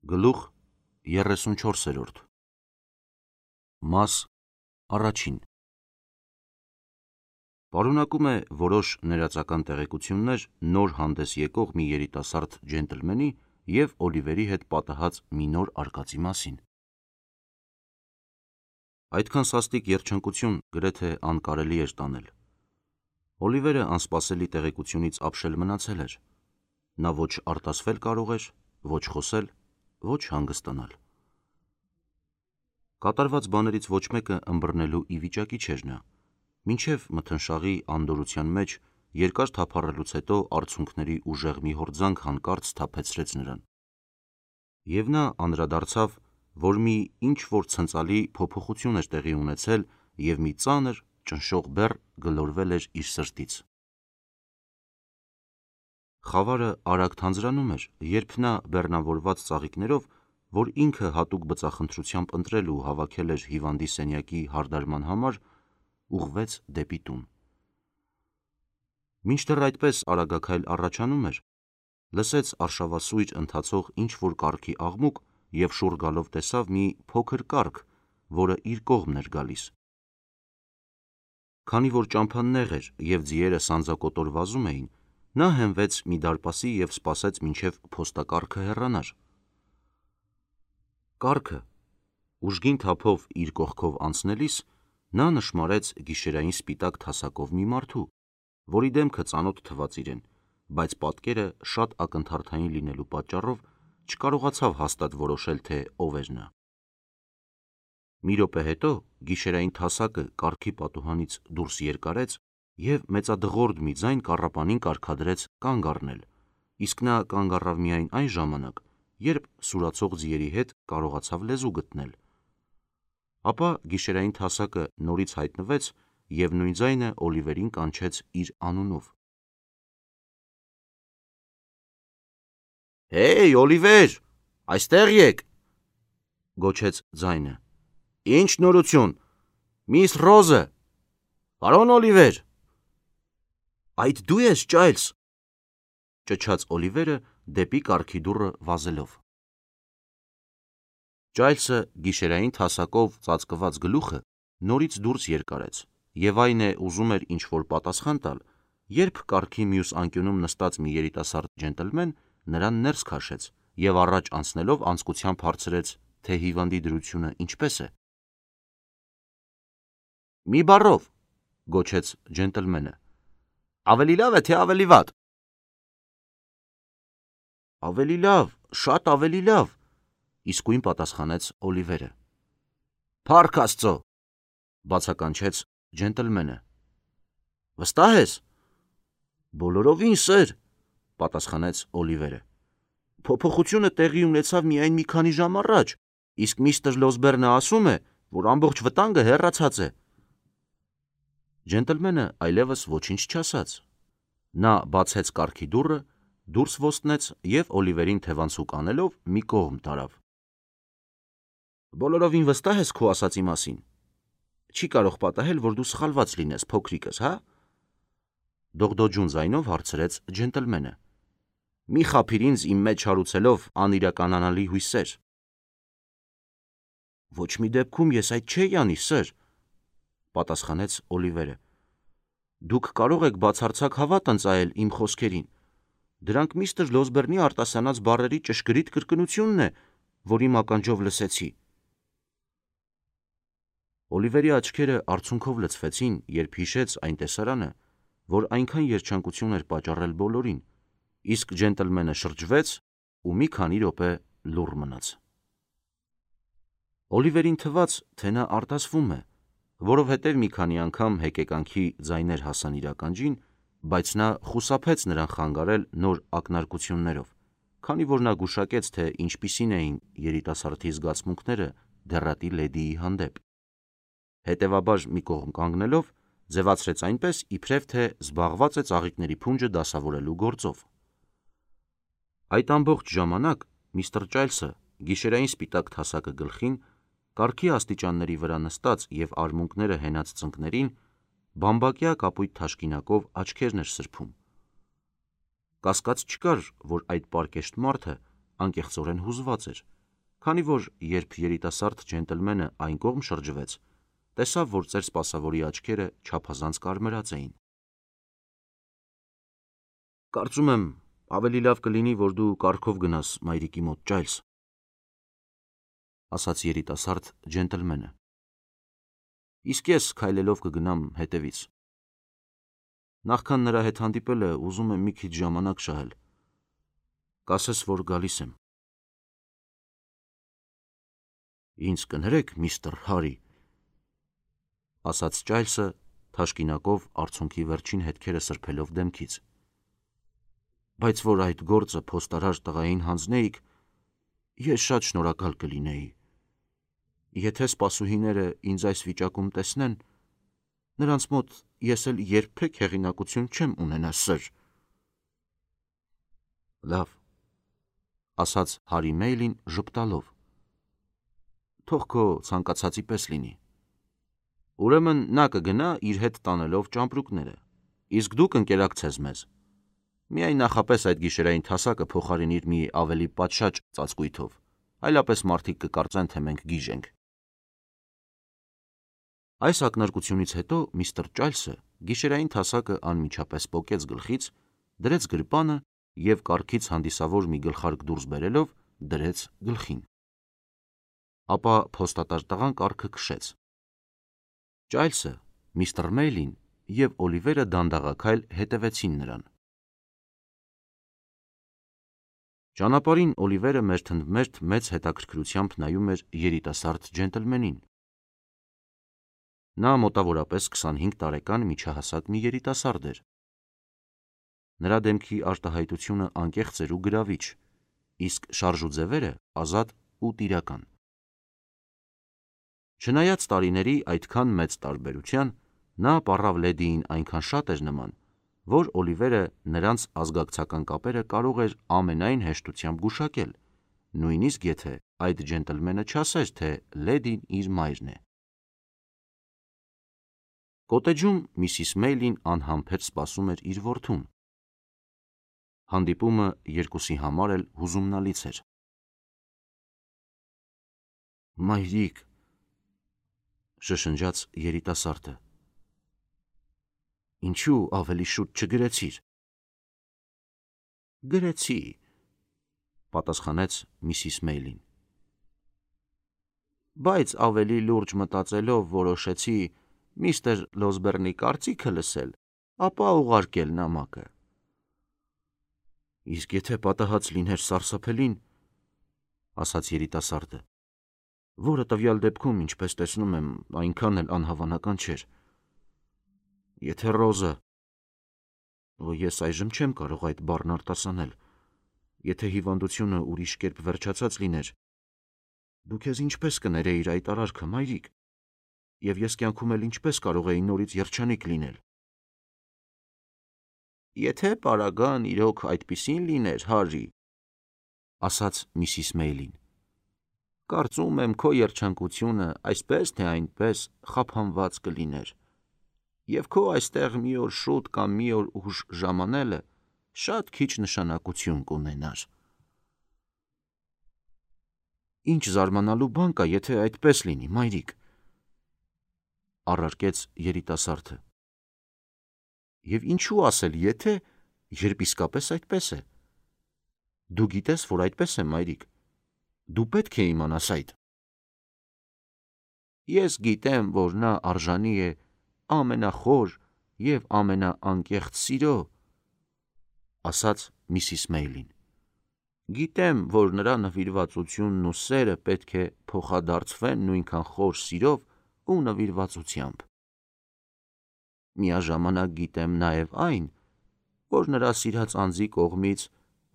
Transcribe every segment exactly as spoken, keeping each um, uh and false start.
Գլուխ երեսունչորսերորդ Մաս առաջին Պարունակում է որոշ ներածական տեղեկություններ նոր հանդես եկող մի երիտասարդ ջենտլմենի և Օլիվերի հետ պատահած մի նոր արկածի մասին։ Այդքան սաստիկ երջանկություն գրեթե անկարելի էր տանել։ Օլիվերը անսպասելի տեղեկությունից ապշել մնացել էր։ Նա ոչ արտասվել կարող էր, ոչ խոսել, ոչ հանգստանալ։ Կատարված բաներից ոչ մեկը ըմբռնելու ի վիճակի չէր նա, մինչև մթնշաղի անդորրության մեջ երկար թափառելուց հետո արցունքների ուժեղ մի հորձանք հանկարծ սթափեցրեց նրան։ Եվ նա անդրադարձավ, որ մի ինչ-որ ցնծալի փոփոխություն էր տեղի ունեցել և մի ծանր, ճնշող բեռ գլորվել էր իր սրտից։ Խավարը արագ թանձրանում էր, երբ նա բեռնավորված ծաղիկներով, որ ինքը հատուկ բծախնդրությամբ ընտրել ու հավաքել էր հիվանդի սենյակի հարդարման համար, ուղղվեց դեպի տուն։ Մինչդեռ այդպես արագաքայլ առաջանում էր, լսեց արշավասույր ընթացող ինչ-որ կառքի աղմուկ և շուռ գալով տեսավ մի փոքր կառք, որը իր կողմն էր գալիս։ Քանի որ ճամփան նեղ էր և ձիերը սանձակոտոր վազում էին, նա հենվեց մի դարպասի և սպասեց մինչև փոստակառքը հեռանար։ Կառքը ուժգին թափով իր կողքով անցնելիս, նա նշմարեց գիշերային սպիտակ թասակով մի մարդու, որի դեմքը ծանոթ թվաց իրեն, բայց պատկերը շատ ակնթարթային լինելու պատճառով չկարողացավ հաստատ որոշել, թե ով էր նա։ Մի րոպե հետո գիշերային թասակը կառքի պատուհանից դուրս երկարեց և մեծադղրդի մի ձայն կառապանին կարգադրեց կանգ առնել, իսկ նա կանգ առավ միայն այն ժամանակ, երբ սուրացող ձիերի հետ կարողացավ լեզու գտնել։ Ապա գիշերային թասակը նորից հայտնվեց և նույն ձայնը Օլիվերին կանչեց իր անունով։ «Հեյ, Օլիվեր, այստեղ եկ», գոչեց ձայնը։ «Ի՞նչ նորություն, միս Ռոզը, պարոն Օլիվեր»։ «Այդ դու ես, Ճայլս», ճչաց Օլիվերը դեպի կառքի դուռը վազելով։ Ճայլսը գիշերային թասակով ծածկված գլուխը նորից դուրս երկարեց և այն է ուզում էր ինչ-որ պատասխան տալ, երբ կառքի մյուս անկյունում նստած մի երիտասարդ ջենտլմեն նրան ներս քաշեց և առաջ անցնելով անձկությամբ հարցրեց, թե հիվանդի դրությունը ինչպես է։ «Մի բառով», գոչեց ջենտլմենը, «ավելի լավ է, թե ավելի վատ»։ «Ավելի լավ, շատ ավելի լավ», իսկույն պատասխանեց Օլիվերը։ «Փառք Աստծո», բացականչեց ջենտլմենը։ «Վստահ ես»։ «Բոլորովին, սըր», պատասխանեց Օլիվերը։ «Փոփոխությունը տեղի ունեցավ միայն մի քանի ժամ առաջ, իսկ միստր Լոսբերնը ասում է, որ ամբողջ վտանգը հեռացած է»։ Ջենտլմենը այլևս ոչինչ չասաց։ Նա բացեց կառքի դուռը, դուրս ոստնեց և Օլիվերին թևանցուկ անելով մի կողմ տարավ։ «Բոլորովին վստահ ես քո ասածի մասին։ Չի կարող պատահել, որ դու սխալված լինես, փոքրիկս, հա՞, դողդոջուն ձայնով հարցրեց ջենտլմենը։ «Մի խաբիր ինձ իմ մեջ հարուցելով անիրականանալի հույսեր»։ «Ոչ մի դեպքում ես այդ չէի անի, սըր», պատասխանեց Օլիվերը։ «Դուք կարող եք բացարձակ հավատ ընծայել իմ խոսքերին։ Դրանք միստր Լոսբերնի արտասանած բառերի ճշգրիտ կրկնությունն է, որի ականջով լսեցի»։ Օլիվերի աչքերը արցունքով լցվեցին, երբ հիշեց այն տեսարանը, որ այնքան երջանկություն էր պատճառել բոլորին, իսկ ջենտլմենը շրջվեց ու մի քանի րոպե լուռ մնաց։ Օլիվերին թվաց, թե նա արտասվում է, որովհետև մի քանի անգամ հեկեկանքի ձայներ հասան իր ականջին, բայց նա խուսափեց նրան խանգարել նոր ակնարկություններով, քանի որ նա գուշակեց, թե ինչպիսին էին երիտասարդի զգացմունքները դեռատի լեդիի հանդեպ։ Հետևաբար մի կողմ կանգնելով, ձևացրեց այնպես, իբրև թե զբաղված է ծաղիկների փունջը դասավորելու գործով։ Այդ ամբողջ ժամանակ միստր Ճայլսը գիշերային սպիտակ թասակը գլխին, կառքի աստիճանների վրա նստած և արմունկները հենած ծնկներին, բամբակյա կապույտ թաշկինակով աչքերն էր սրբում։ Կասկած չկար, որ այդ պարկեշտ մարդը անկեղծորեն հուզված էր, քանի որ երբ երիտասարդ ջենտլմենը այն կողմ շրջվեց, տեսավ, որ ծեր սպասավորի աչքերը չափազանց կարմրած էին։ Կարծում եմ, ավելի լավ կլինի, որ դու կառքով գնաս մայրիկի մոտ, Ջայլս, ասաց երիտասարդ ջենտլմենը։ Իսկ ես քայլելով կգնամ հետևից։ Նախքան նրա հետ հանդիպելը ուզում եմ մի քիչ ժամանակ շահել։ Կասես, որ գալիս եմ։ Ինձ կներեք, միստր Հարի, ասաց Ջայլսը, թաշկինակով արցունքի վերջին հետքերը սրբելով դեմքից։ Բայց որ այդ գործը փոստարար տղային հանձնեիք, ես շատ շնորհակալ կլինեի։ Եթե սպասուհիները ինձ այս վիճակում տեսնեն, նրանց մոտ ես էլ երբեք հեղինակություն չեմ ունենա, սըր։ Լավ, ասաց Հարի Մեյլին ժպտալով։ Թող քո ցանկացածի պես լինի։ Ուրեմն նա կգնա իր հետ տանելով ճամպրուկները, իսկ դու կընկերակցես մեզ։ Միայն նախապես այդ գիշերային թասակը փոխարինիր մի ավելի պատշաճ ծածկույթով, այլապես մարդիկ կկարծեն, թե մենք գիժ ենք։ Այս ակնարկությունից հետո միստր Ջայլսը գիշերային թասակը անմիջապես պոկեց գլխից, դրեց գրպանը և կառքից հանդիսավոր մի գլխարկ դուրս բերելով դրեց գլխին։ Ապա փոստատար տղան կառքը քշեց։ Ջայլսը, միստր Մեյլին և Օլիվերը դանդաղաքայլ հետևեցին նրան։ Ճանապարհին Օլիվերը մերթընդմերթ մեծ հետաքրքրությամբ նայում էր երիտասարդ ջենտլմենին։ Նա մոտավորապես քսանհինգ տարեկան միջահասակ մի երիտասարդ էր։ Նրա դեմքի արտահայտությունը անկեղծ էր ու գրավիչ, իսկ շարժուձևերը ազատ ու տիրական։ Չնայած տարիների այդքան մեծ տարբերության, նա պառավ լեդիին այնքան շատ էր նման, որ Օլիվերը նրանց ազգակցական կապերը կարող էր ամենայն հեշտությամբ գուշակել, նույնիսկ եթե այդ ջենտլմենը չասեր, թե լեդին իր մայրն է։ Կոտեջում միսիս Մեյլին անհամբեր սպասում էր իր որդուն։ Հանդիպումը երկուսի համար էլ հուզումնալից էր։ Մայրիկ, շշնջաց երիտասարդը, ինչու ավելի շուտ չգրեցիր։ Գրեցի, պատասխանեց միսիս Մեյլին։ Բայց ավելի լուրջ մտածելով որոշեցի միստր Լոսբերնի կարծիքը լսել, ապա ուղարկել նամակը։ Իսկ եթե պատահած լիներ սարսափելին, ասաց երիտասարդը, որը տվյալ դեպքում, ինչպես տեսնում եմ, այնքան էլ անհավանական չէր։ Եթե Ռոզը, ես այժմ չեմ կարող այդ բառն արտասանել, եթե հիվանդությունը ուրիշ կերպ վերջացած լիներ, դու քեզ ինչպես կներեիր այդ արարքը, մայրիկ, և ես կյանքում էլ ինչպես կարող էի նորից երջանիկ լինել։ Եթե պարագան իրոք այդպիսին լիներ, Հարի, ասաց միսիս Մեյլին, կարծում եմ քո երջանկությունը այսպես թե այնպես խափանված կլիներ, և քո այստեղ մի օր շուտ կամ մի օր ուշ ժամանելը շատ քիչ նշանակություն կունենար։ Ինչ զարմանալու բան կա, եթե այդպես լինի, մայրիկ, առարկեց երիտասարդը։ Եվ ինչու ասել եթե, երբ իսկապես այդպես է։ Դու գիտես, որ այդպես է, մայրիկ, դու պետք է իմանաս այդ։ Ես գիտեմ, որ նա արժանի է ամենախոր և ամենաանկեղծ սիրո, ասաց միսիս Մեյլին։ Գիտեմ, որ նրա նվիրվածությունն ու սերը պետք է փոխադարձվեն նույնքան խոր սիրով ու նվիրվածությամբ։ Միաժամանակ գիտեմ նաև այն, որ նրա սիրած անձի կողմից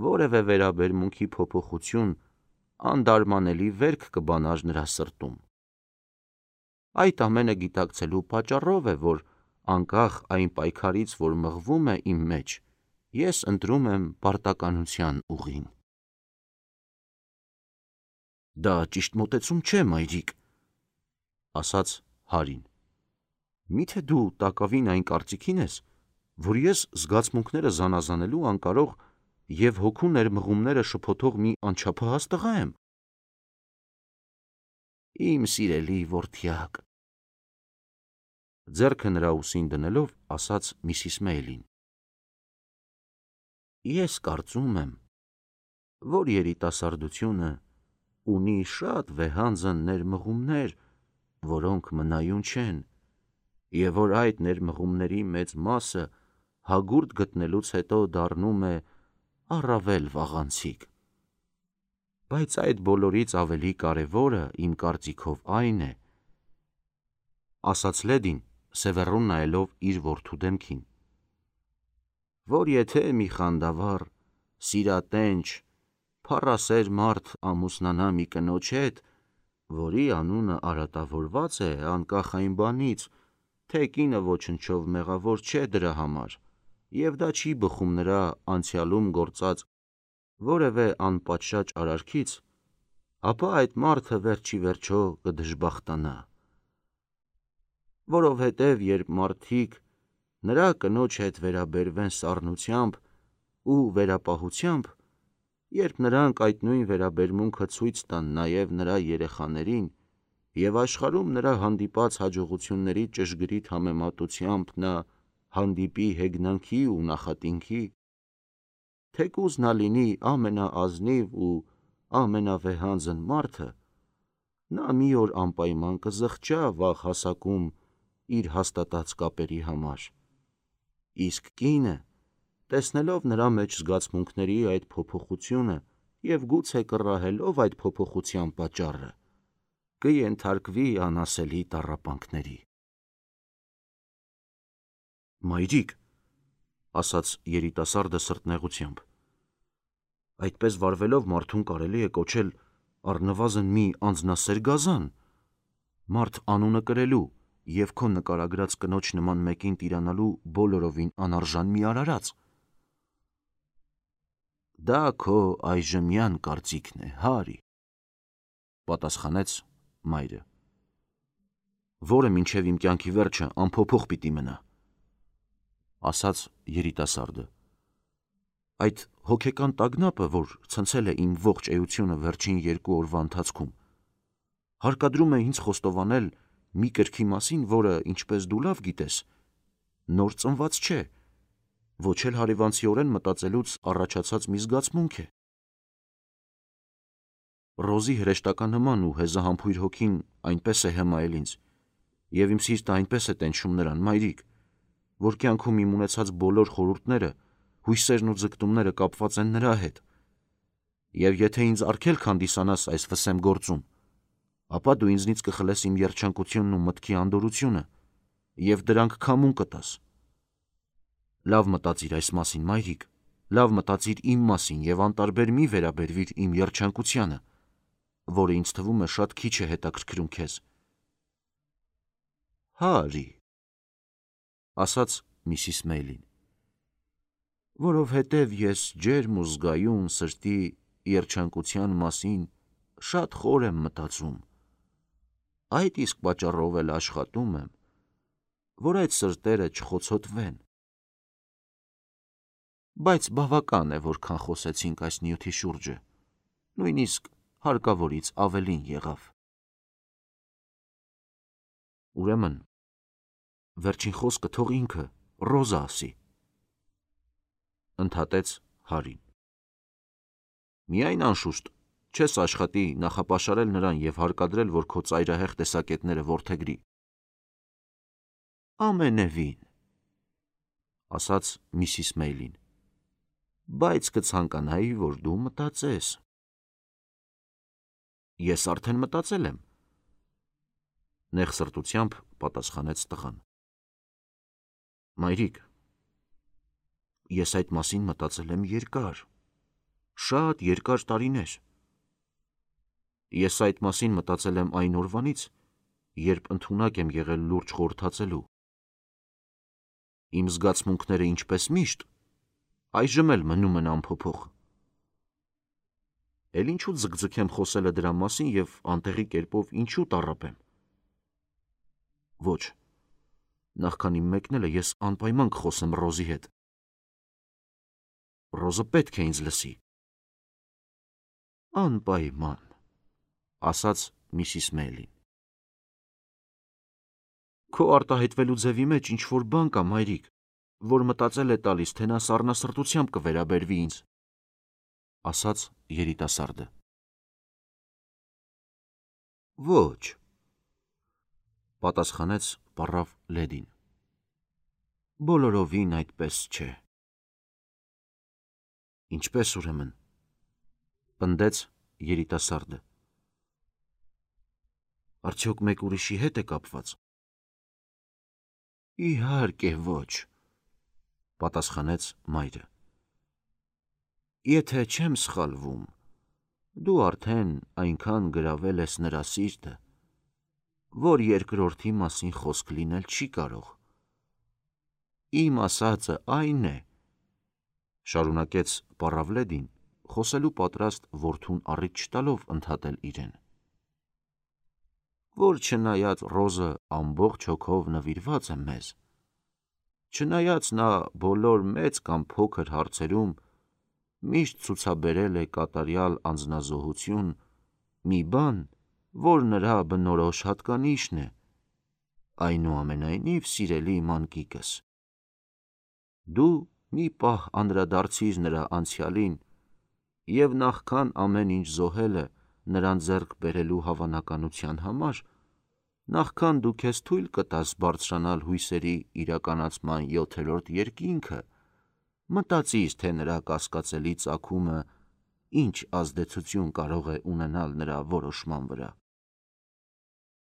որևէ վերաբերմունքի փոփոխություն անդարմանելի վերք կբանար նրա սրտում։ Այդ ամենը գիտակցելու պատճառով է, որ անկախ այն պայքարից, որ մղվում է իմ մեջ, ես ընտրում եմ պարտականության ուղին։ Դա ճիշտ մոտեցում չէ, մայրիկ, ասաց Հարին։ Միթե դու տակավին այն կարծիքին ես, որ ես զգացմունքները զանազանելու անկարող և հոգու ներմղումները շփոթող մի անչափահաս տղա եմ։ Իմ սիրելի որդյակ, ձեռքը նրա ուսին դնելով, ասաց Միսիս Մեյլին. Ես կարծում եմ, որ երիտասարդությունը ունի շատ վեհանձն ներմղումներ, որոնք մնայուն չեն, և որ այդ ներմղումների մեծ մասը հագուրդ գտնելուց հետո դառնում է առավել վաղանցիկ։ Բայց այդ բոլորից ավելի կարևորը, իմ կարծիքով, այն է, ասաց լեդին, սևեռուն նայելով իր որդու դեմքին, որ եթե մի խանդավառ, սիրատենչ, փառասեր մարդ ամուսնանա մի կնոջ հետ, որի անունը արատավորված է անկախ այն բանից, թե կինը ոչնչով մեղավոր չէ դրա համար, և դա չի բխում նրա անցյալում գործած որևէ անպատշաճ արարքից, ապա այդ մարդը վերջիվերջո կդժբախտանա։ Որովհետև երբ մարդիկ նրա կնոջ հետ վերաբերվեն սառնությամբ ու վերապահությամբ, երբ նրանք այդ նույն վերաբերմունքը ցույց տան նաև նրա երեխաներին, և աշխարհում նրա հանդիպած հաջողությունների ճշգրիտ համեմատությամբ նա հանդիպի հեգնանքի ու նախատինքի, թեկուզ նա լինի ամենաազնիվ ու ամենավեհանձն մարդը, նա մի օր անպայման կզղջա վաղ հասակում իր հաստատած կապերի համար, իսկ կինը, տեսնելով նրա մեջ զգացմունքների այդ փոփոխությունը և գուցե կռահելով այդ փոփոխության պատճառը, կենթարկվի անասելի տառապանքների։ Մայրիկ, ասաց երիտասարդը սրտնեղությամբ, այդպես վարվելով մարդուն կարելի է կոչել առնվազն մի անձնասեր գազան, մարդ անունը կրելու և քո նկարագրած կնոջ նման մեկին տիրանալու բոլորովին անարժան մի արարած։ Դա քո այժմյան կարծիքն է, Հարի, պատասխանեց մայրը, որը մինչև իմ կյանքի վերջը անփոփոխ պիտի մնա, ասաց երիտասարդը։ Այդ հոգեկան տագնապը, որ ցնցել է իմ ողջ էությունը վերջին երկու օրվա ընթացքում, հարկադրում է ինձ խոստովանել մի կրքի մասին, որը, ինչպես դու լավ գիտես, նոր ծնված չէ, ոչ էլ հարևանցիորեն մտածելուց առաջացած մի զգացմունք է։ Ռոզի հրեշտակա նման ու հեզահամբույր հոգին այնպես է հմայել ինձ, և իմ սիրտը այնպես է տենչում նրան, մայրիկ, որ կյանքում իմ ունեցած բոլոր խորհուրդները, հույսերն ու ձգտումները կապված են նրա հետ, և եթե ինձ արգելք հանդիսանաս այս վսեմ գործում, ապա դու ինձնից կխլես իմ երջանկությունն ու մտքի անդորրությունը և դրանք քամուն կտաս։ Լավ մտածիր այս մասին, մայրիկ, լավ մտածիր իմ մասին և անտարբեր մի վերաբերվիր իմ երջանկությանը, որը ինձ թվում է շատ քիչ է հետաքրքրում քեզ։ Հարի, ասաց Միսիս Մեյլին, որովհետև ես ջերմ ու զգայուն սրտի երջանկության մասին շատ խոր եմ մտածում, այդ իսկ պատճառով էլ աշխատում եմ, որ այդ սրտերը չխոցոտվեն։ Բայց բավական է, որքան խոսեցինք այս նյութի շուրջը, նույնիսկ հարկավորից ավելին եղավ։ Ուրեմն, վերջին խոսքը թող ինքը Ռոզա ասի, ընդհատեց Հարին։ Միայն անշուշտ չես աշխատի նախապաշարել նրան և հարկադրել, որ քո ծայրահեղ տեսակետները որդեգրի։ Ամենևին, ասաց Միսիս Մեյլին, բայց կցանկանայի, որ դու մտածես։ Ես արդեն մտածել եմ, նեղ սրտությամբ պատասխանեց տղան։ Մայրիկ, ես այդ մասին մտածել եմ երկար, շատ երկար տարիներ։ Ես այդ մասին մտածել եմ այն օրվանից, երբ ընդունակ եմ եղել լուրջ խորհրդածելու։ Իմ զգացմունքները, ինչպես միշտ, այժմ էլ մնում են անփոփոխ։ Էլ ինչու ձգձգեմ խոսելը դրա մասին և անտեղի կերպով ինչու տառապեմ։ Ոչ, նախքան իմ մեկնելը ես անպայման կխոսեմ Ռոզի հետ։ Ռոզը պետք է ինձ լսի։ Անպայման, ասաց միսիս Մեյլին։ Քո արտահայտվելու ձևի մեջ ինչ-որ բան կա, մայրիկ, որ մտածել է տալիս, թե նա սառնասրտությամբ կվերաբերվի ինձ, ասաց երիտասարդը։ Ոչ, պատասխանեց պառավ լեդին։ Բոլորովին այդպես չէ։ Ինչպես ուրեմն, պնդեց երիտասարդը։ Արդյոք մեկ ուրիշի հետ է կապված։ Իհարկե ոչ, պատասխանեց մայրը։ Եթե չեմ սխալվում, դու արդեն այնքան գրավել ես նրա սիրտը, որ երկրորդի մասին խոսք լինել չի կարող։ Իմ ասածը այն է, շարունակեց պառավ լեդին, խոսելու պատրաստ որդուն առիթ չտալով ընդհատել իրեն, որ չնայած Ռոզը ամբողջ հոգով նվիրված է մեզ, չնայած նա բոլոր մեծ կամ փոքր հարցերում միշտ ցուցաբերել է կատարյալ անձնազոհություն, մի բան, որ նրա բնորոշ հատկանիշն է, այնուամենայնիվ, սիրելի մանկիկս, դու մի պահ անդրադարձիր նրա անցյալին և նախքան ամեն ինչ զոհելը նրան ձեռք բերելու հավանականության համար, նախքան դու քեզ թույլ կտաս բարձրանալ հույսերի իրականացման յոթերորդ երկինքը, մտածիր, թե նրա կասկածելի ծագումը ինչ ազդեցություն կարող է ունենալ նրա որոշման վրա։